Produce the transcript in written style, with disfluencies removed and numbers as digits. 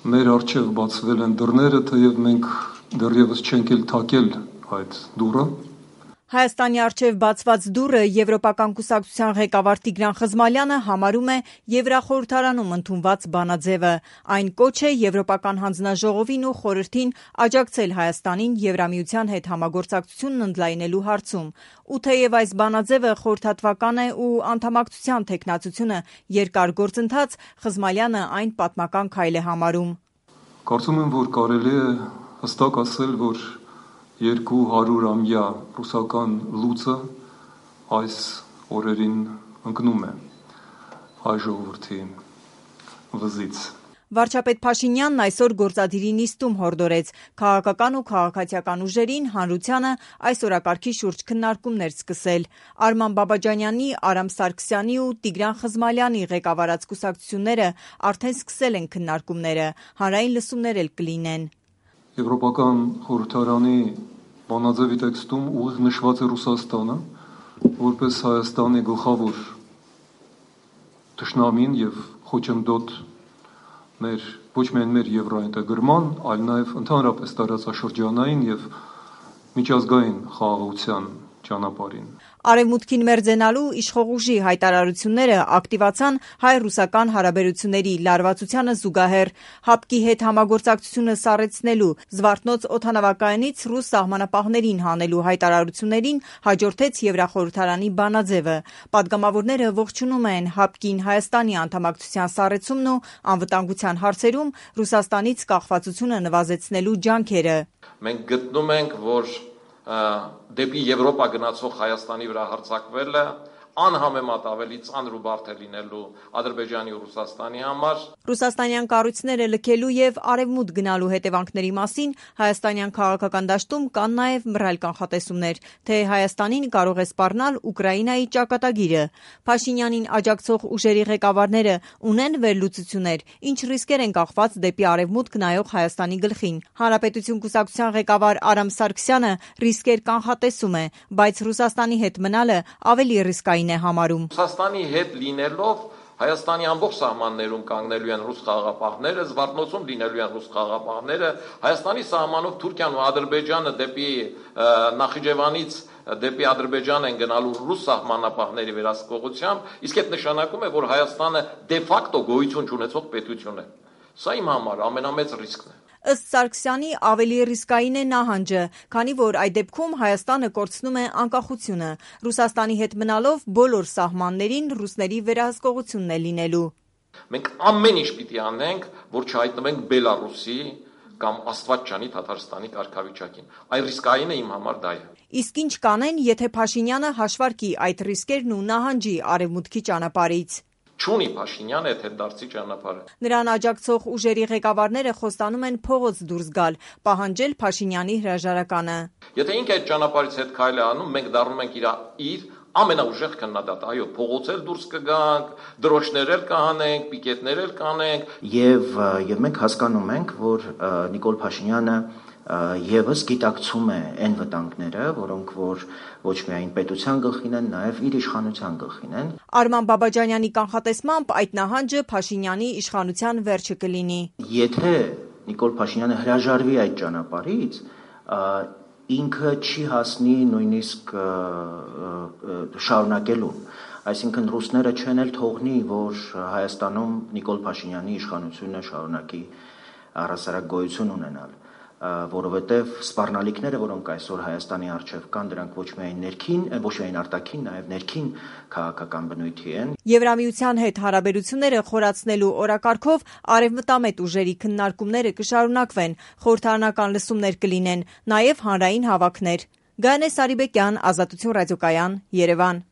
Մեր առջև բացվել են դռները, թեև մենք դեռևս չենք էլ թակել այդ դուռը։ Հայաստանի առջև բացված դուռը Եվրոպական կուսակցության ղեկավար Տիգրան Խզմալյանը համարում է Եվրախորհրդարանում ընդունված բանաձևը։ Այն կոչ է Եվրոպական հանձնաժողովին ու խորհրդին աջակցել Հայաստանին Եվրամիության հետ համագործակցությունն ընդլայնելու հարցում։ Ու թեև այս բանաձևը խորհրդատվական է ու անդամակցության թեկնածությունը երկար գործընթաց, Խզմալյանը այն պատմական քայլ է համարում։ Կարծում եմ, որ կարելի է հստակ ասել, որ 200-ամյա ռուսական լուծը այս օրերին ընկնում է հայ ժողովրդի վզից։ Վարչապետ Փաշինյանն այսօր գործադիրի նիստում հորդորեց քաղաքական ու քաղաքացիական ուժերին, հանրությանը այս օրակարգի շուրջ քննարկումներ սկսել։ Արման Բաբաջանյանի, Արամ Սարգսյանի ու Տիգրան Խզմալյանի ղեկավարած կուսակցությունները արդեն սկսել են քննարկումները, հանրային լսումներ էլ կլինեն։ Եվրոպական խորհրդարանի բանաձևի տեքստում ուղիղ նշված է Ռուսաստանը, որպես Հայաստանի գլխավոր թշնամին եւ խոչընդոտ ոչ միայն մեր եվրոինտեգրման, այլ նաեւ ընդհանրապես տարածաշրջանային եւ միջազգային խաղաղության ճանապարհին։ Արևմուտքին մերձենալու իշխող ուժի հայտարարությունները ակտիվացան հայ-ռուսական հարաբերությունների լարվածությանը զուգահեռ։ ՀԱՊԿ-ի հետ համագործակցությունը սառեցնելու, Զվարթնոց օդանավակայանից ռուս սահմանապահներին հանելու հայտարարություններին հաջորդեց Եվրախորհրդարանի բանաձևը։ Պատգամավորները ողջունում են ՀԱՊԿ-ին Հայաստանի անդամակցության սառեցումն ու անվտանգության հարցերում Ռուսաստանից կախվածությունը նվազեցնելու ջանքերը։ Մենք գտնում ենք, որ դեպի Եվրոպա գնացող Հայաստանի վրա հարձակվելը անհամեմատ ավելի ծանր ու բարդ է լինելու Ադրբեջանի ու Ռուսաստանի համար։ Ռուսաստանյան կառույցները լքելու եւ արևմուտք գնալու հետևանքների մասին հայաստանյան քաղաքական դաշտում կան նաեւ մռայլ կանխատեսումներ, թե Հայաստանին կարող է սպառնալ Ուկրաինայի ճակատագիրը։ Փաշինյանին աջակցող ուժերի ղեկավարները ունեն վերլուծություններ, ինչ ռիսկեր են կախված դեպի արևմուտք նայող Հայաստանի գլխին։ Հանրապետություն կուսակցության ղեկավար Արամ Սարգսյանը ռիսկեր կանխատեսում է, բայց Ռուսաստանի հետ մնալը ավելի ռիսկային է համարում։ Ռուսաստանի հետ լինելով Հայաստանի ամբողջ սահմաններում կանգնելու են ռուս խաղաղապահները, Զվարթնոցում լինելու են ռուս խաղաղապահները, Հայաստանի սահմանով Թուրքիան ու Ադրբեջանը դեպի Նախիջևանից դեպի Ադրբեջան են գնալու ռուս սահմանապահների վերահսկողությամբ, իսկ այդ նշանակում է, որ Հայաստանը դե ֆակտո գոյություն չունեցող պետություն է։ Սա իմ համար ամենամեծ ռիսկն է։ Ըստ Սարգսյանի ավելի ռիսկային է նահանջը, քանի որ այդ դեպքում Հայաստանը կորցնում է անկախությունը։ Ռուսաստանի հետ մնալով բոլոր սահմաններին ռուսների վերահսկողությունն է լինելու։ Մենք ամեն ինչ պիտի անենք, որ չհայտնվենք Բելարուսի կամ Աստված չանի Թաթարստանի կարգավիճակին։ Այն ռիսկային է իմ համար դա է։ Իսկ ինչ կանեն, եթե Փաշինյանը հաշվարկի այդ ռիսկերն ու նահանջի արևմուտքի ճանապարհից։ Չունի Փաշինյանը այդ դարձի ճանապարհը։ Նրան աջակցող ուժերի ղեկավարները խոստանում են փողոց դուրս գալ, պահանջել Փաշինյանի հրաժարականը։ Եթե ինքը այդ ճանապարհից հետ քայլ է անում, մենք դառնում ենք իր ամենաուժեղ քննադատը։ Այո, փողոցել դուրս կգանք, դրոշներ էլ կհանենք, պիկետներ էլ կանենք։ Եվ մենք հասկանում ենք, որ Նիկոլ Փաշինյանը եւս գիտակցում է այն վտանգները, որոնք որ ոչ միայն պետության գլխին են, նաեւ իր իշխանության գլխին են։ Արման Բաբաջանյանի կանխատեսմամբ այդ նահանջը Փաշինյանի իշխանության վերջը կլինի։ Եթե Նիկոլ Փաշինյանը հրաժարվի այդ ճանապարհից, ինքը չի հասնի նույնիսկ շարունակելուն։ Այսինքն ռուսները չեն էլ թողնի, որ Հայաստանում Նիկոլ Փաշինյանի իշխանությունը շարունակի առհասարակ գոյություն ունենալ, որովհետև սպառնալիքները, որոնք այսօր Հայաստանի առջև կան, դրանք ոչ միայն արտաքին, նաև ներքին քաղաքական բնույթի են։ Եվրամիության հետ հարաբերությունները խորացնելու օրակարգով արևմտամետ ուժերի քննարկումները կշարունակվեն, խորհրդարանական լսումներ կլինեն, նաև հանրային հավաքներ։ Գայանե Սարիբեկյան, Ազատություն ռադիոկայան, Երևան։